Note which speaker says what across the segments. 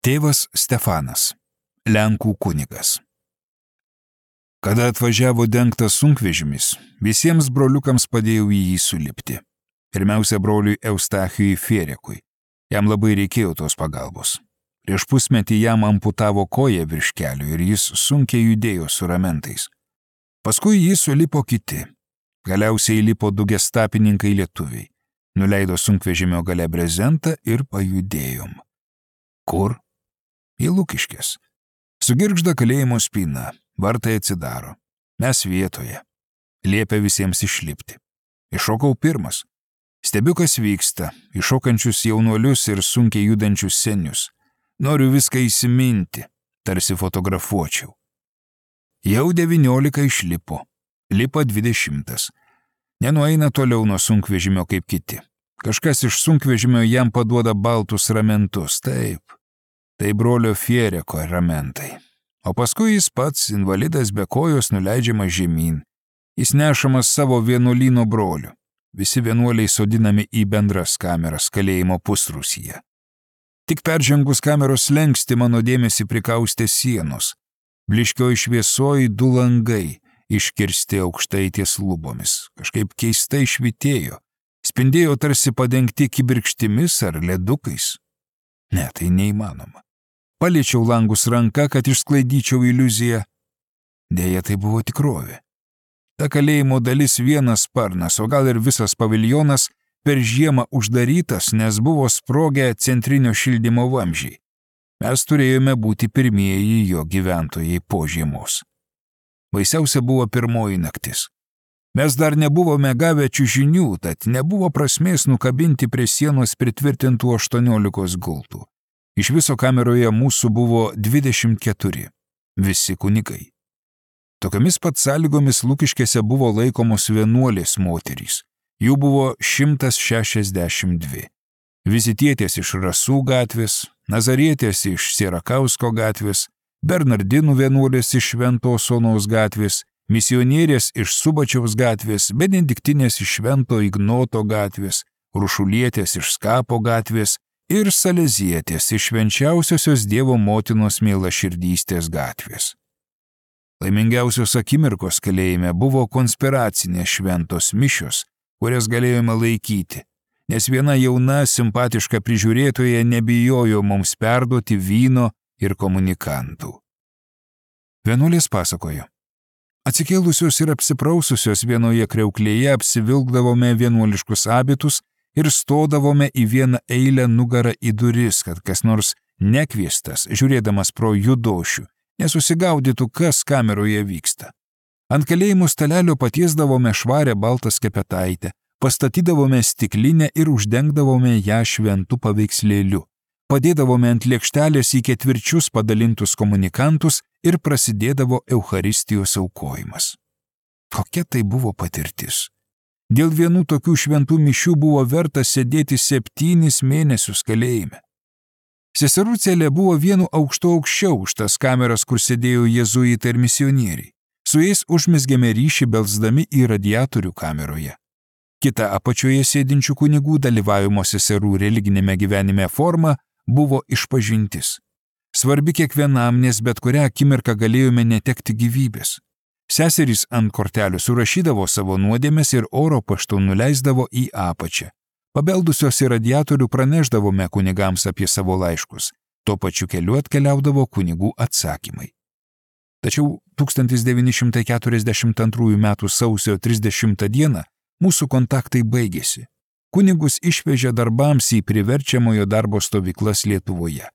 Speaker 1: Tėvas Stefanas, Lenkų kunigas. Kada atvažiavo dengtas sunkvežimis, visiems broliukams padėjau į jį sulipti. Pirmiausia, broliui Eustachijui Fierekui. Jam labai reikėjo tos pagalbos. Prieš pusmetį jam amputavo koją virš kelių ir jis sunkiai judėjo su ramentais. Paskui jį sulipo kiti. Galiausiai lipo du gestapininkai lietuviai. Nuleido sunkvežimio gale brezentą ir pajudėjom. Kur? Į Lukiškes. Sugirgžda kalėjimo spyna, vartai atsidaro. Mes vietoje. Liepia visiems išlipti. Iššokau pirmas. Stebiu, kas vyksta, iššokančius jaunuolius ir sunkiai judančius senius. Noriu viską įsiminti, tarsi fotografuočiau. Jau 19 išlipo. Lipa 20. Nenueina toliau nuo sunkvežimio kaip kiti. Kažkas iš sunkvežimio jam paduoda baltus ramentus, taip. Tai brolio Fiereko ramentai. O paskui jis pats, invalidas be kojos, nuleidžiamas žemyn. Jis nešamas savo vienuolyno brolių. Visi vienuoliai sodinami į bendras kameras kalėjimo pusrūsyje. Tik peržengus kameros slenkstį mano dėmesį prikaustė sienos. Bliškioj šviesoj 2 langai, iškirsti aukštai ties lubomis. Kažkaip keistai švitėjo. Spindėjo tarsi padengti kibirkštimis ar ledukais. Ne, tai neįmanoma. Paliečiau langus ranka, kad išsklaidyčiau iliuziją. Deja, tai buvo tikrovė. Ta kalėjimo dalis vienas sparnas, o gal ir visas paviljonas, per žiemą uždarytas, nes buvo sprogę centrinio šildymo vamzdžiai. Mes turėjome būti pirmieji jo gyventojai po žiemos. Baisiausia buvo pirmoji naktis. Mes dar nebuvome gavę čiužinių, tad nebuvo prasmės nukabinti prie sienos pritvirtintų 18 gultų. Iš viso kameroje mūsų buvo 24, visi kunigai. Tokiamis pat sąlygomis Lukiškėse buvo laikomos vienuolės moterys. Jų buvo 162. Vizitietės iš Rasų gatvės, Nazarietės iš Sierakausko gatvės, Bernardinų vienuolės iš Šventos Onos gatvės, misionierės iš Subačiaus gatvės, Benediktinės iš Švento Ignoto gatvės, Rušulietės iš Skapo gatvės ir Salezietės iš Švenčiausiosios Dievo motinos mielaširdystės gatvės. Laimingiausios akimirkos kalėjime buvo konspiracinės šventos mišios, kurias galėjome laikyti, nes viena jauna, simpatiška prižiūrėtoja nebijojo mums perduoti vyno ir komunikantų. Vienuolės pasakojo. Atsikėlusios ir apsipraususios vienoje kriauklėje apsivilkdavome vienuoliškus abitus ir stodavome į vieną eilę nugarą į duris, kad kas nors nekviestas, žiūrėdamas pro judošių, nesusigaudytų, kas kameroje vyksta. Ant kalėjimų stalelio patiesdavome švarę baltą skepetaitę, pastatydavome stiklinę ir uždengdavome ją šventų paveikslėliu. Padėdavome ant lėkštelės į ketvirčius padalintus komunikantus ir prasidėdavo Eucharistijos aukojimas. Kokia tai buvo patirtis? Dėl vienų tokių šventų mišių buvo verta sėdėti 7 mėnesius kalėjime. Seserų celė buvo vienu aukštu aukščiau už tas kameras, kur sėdėjo jėzuitai ir misionieriai. Su jais užmezgėme ryšį belsdami į radiatorių kameroje. Kita apačioje sėdinčių kunigų dalyvavimo seserų religinėme gyvenime forma buvo išpažintis. Svarbi kiekvienam, nes bet kurią akimirką galėjome netekti gyvybės. Seserys ant kortelių surašydavo savo nuodėmes ir oro paštu nuleisdavo į apačią. Pabeldusios į radiatorių praneždavome kunigams apie savo laiškus. Tuo pačiu keliu atkeliaudavo kunigų atsakymai. Tačiau 1942 m. sausio 30 d. mūsų kontaktai baigėsi. Kunigus išvežė darbams į priverčiamojo darbo stovyklas Lietuvoje.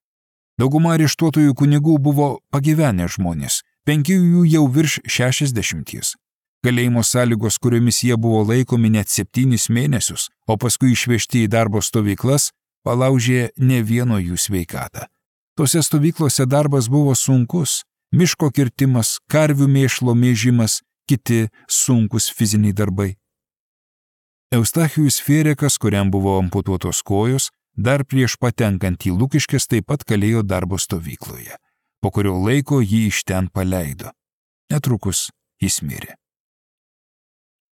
Speaker 1: Dauguma areštuotojų kunigų buvo pagyvenę žmonės, 5 jų jau virš 60. Kalėjimo sąlygos, kuriomis jie buvo laikomi net 7 mėnesius, o paskui išvežti į darbo stovyklas, palaužė ne vieno jų sveikatą. Tose stovyklose darbas buvo sunkus, miško kirtimas, karvių mėšlo mėžimas, kiti sunkus fiziniai darbai. Eustachijus Fierekas, kuriam buvo amputuotos kojos, dar prieš patenkant į Lukiškes taip pat kalėjo darbo stovykloje, po kurio laiko jį iš ten paleido. Netrukus jis mirė.